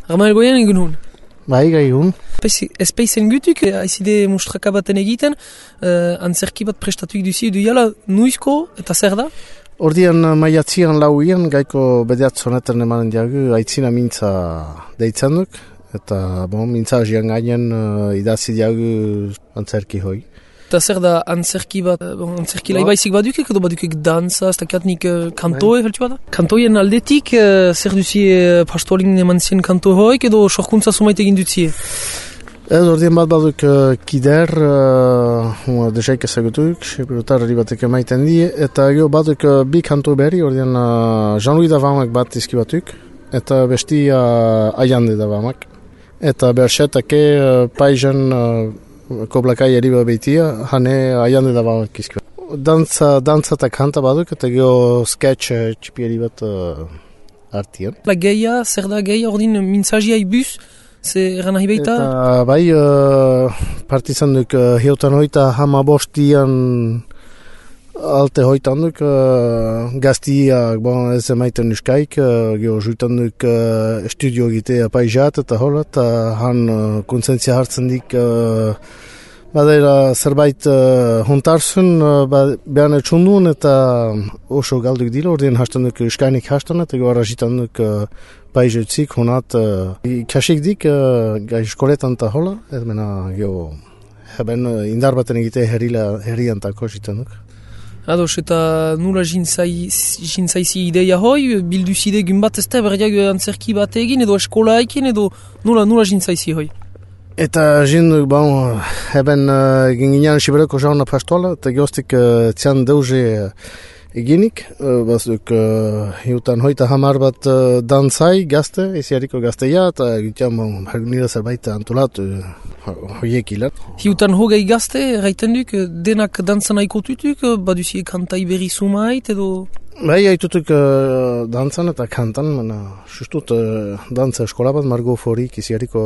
Ramael goian egun hon? Bai, gai hon. Espeizen gutuk, haizide mustraka baten egiten, antzerki bat prestatuik duzi edu jala, nuizko eta zer da? Ordian maiatzian lauian, gaiko bedeatzonetan emanen diagu, aitzina mintza deitzen duk, eta mintza azian gainen idazi diagu antzerki hoi. Eta zer da antzerki bat, antzerki laibaizik badukek edo badukek dansa, ez dakiatnik kantoe feltu bada? Kantoien aldetik, zer duzi pastoalin eman zien kanto hoik edo sorkuntza sumaite egin dutzie? Ez ordian bat baduk kider, desaik ezagutuk, sepirotarri batek emaiten die, eta gero baduk bi kanto berri, ordian Jean-Louis Davamak bat izkibatuk, eta besti Aiande Davamak. Eta berxetake paizen koplakai eriba behitia, hane Aiande Davamak izkibatuk. Dantza eta kanta baduk, eta gero sketch txipieri bat artian. La geia, zer da geia, ordin mintzazia ibuz, ze eran nahi beita? Eta bai, partizan duk heutan hoita hamabostian alte hoitan duk gaztiak ez emaiten uskaik, geho juitan duk studio egitea paizat eta hola, eta han kontsentzia hartzen dik badera zerbait hontarzun behan etxundun eta oso galduk dilo, ordien hastan duk uskainik hastan eta geho arrazitan duk paizutzik honat kasik dik gai eskoletan eta hola, ez mena geho heben indar baten egite herrian tako zitan duk. Ados, eta nula jintzaizi ideia hoi, bilduzide gun bat ezte berriak antzerki bat egin edo eskola ekin edo nula jintzaizi hoi? Eta jinduk, heben ginginan sibereko jauna pastoala, eta gehoztik txan deuze eginik, bazduk hiutan hoita hamar bat dantzai gazte, iziariko gazteia, eta gitian nire zerbait antolatu hoiek hilat. Hiutan hogei gazte, erraiten duk, denak dantzan aikotutuk, baduzie kantai berri sumait edo? Bai, haitutuk dantzan eta kantan, sustut dantza eskola bat, Margo Forik iziariko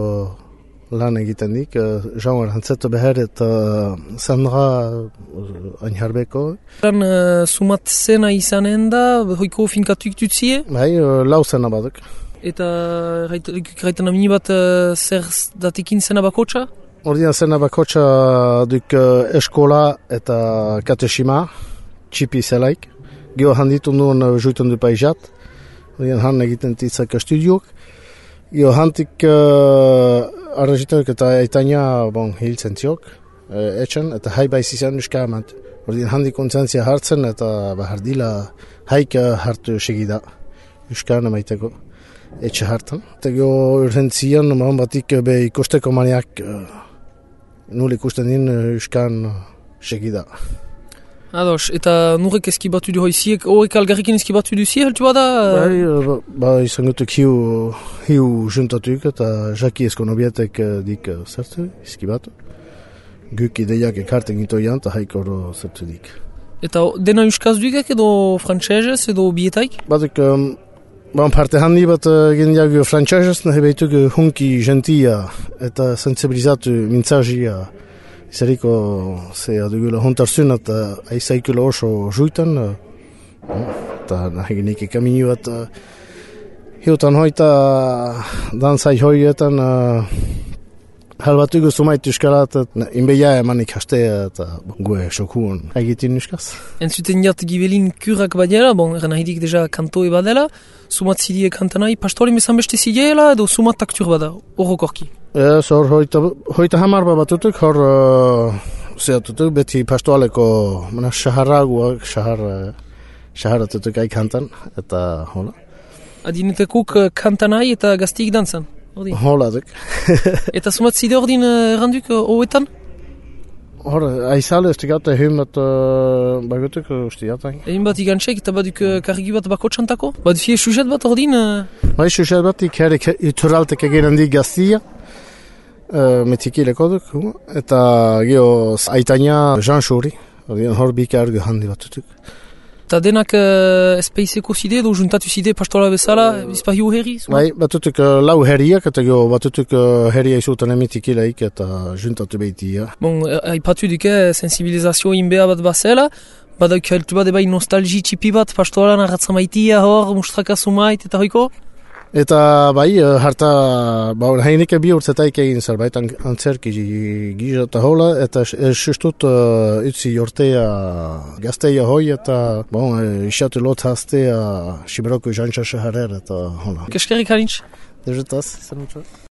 lan egiten dik, Jean Arantzeto Beher eta Sandra Ainharbeko. Sumat zena izanen da, hoiko finkatuik dutzie? Bai, lau zena baduk. Eta gaiten amini bat zer datekin zena bakotxa? Ordian zena bakotxa duk eskola eta katesima, txipi zelaik. Gio handitu nuen juitan du paizat. Ordian han egiten titzak studiok. Gio handik arrazitak eta aitania hiltzen ziok, etxen, eta hai baiz izan uskamat. Ordin handik kontzentzia hartzen eta bahardila haik hartu segida, uskan emaiteko, etxe hartan. Eta gero urrentzian, batik be ikusteko maniak nul ikusten din uskan segida. Ados, eta nurek eskibatu du hoiziek, horrek algarrikin eskibatu duzie, heltu bada? Bai, izan gutuk hiu juntatuk eta jaki eskonobietek dik zertu, eskibatu. Guk ideiak ekarten gitoian eta haik oro zertu dik. Eta dena euskaz dugek edo frantsesez edo bietaik? Batuk, parte handi bat gendiak frantsesez, nahi behituk hunki gentia eta sensibilizatu mintzazia. Izariko adugula hontarzun eta aizaikula oso juitan, eta nahigenik ekamini bat hiutan hoita danzai hoietan halbatugu sumait euskarat, inbeia emanik hastea eta gue sokuun egitin euskaz. Entzuten jat gibelin kurak badela, eran nahidik deja kantoe badela, sumat zidie kantanai, pastorin bezan beste zideela edo sumat aktur bada, horrokorki? Ez, hor hoita hamar batutuk, hor zehatutuk, beti pastoaleko shaharraguak, shaharatutuk aikantan, eta hola. Adinetekuk kantanai eta gaztiik dantzan? Hola duk. Eta sumat zide ordin erranduk hoetan? Hor, aizale ez digate him bat bagutuk ustiatak. Egin bat igantzek eta baduk kargi bat bako txantako? Badufie sujet bat ordin? Bai, sujet bat ikere ituraltek egin handi gaztia. Metikileko duk, eta geho aitania Jean Chouri, hor bika ergu handi batutuk. Eta denak espeizeko zide edo juntatu zide pastola bezala, izpahiu herri? Bai, batutuk lau herriak, eta geho batutuk herria izutan emetikileik eta juntatu behitia. Aipatu duke sensibilizazio inbea bat bazela, badauk heltu bat ebai nostalgi txipi bat pastolan arratzamaitia hor, mustraka sumait eta hoiko? Eta bai, harta, hainik bi urtzetaik egin zerbait antzerki gisa eta hola, eta sustut utzi jortea gazteia hoi, eta isatu lot hastea Siberoko jantxa shaharer, eta hola. Keskerik harintz? Dejetaz, zer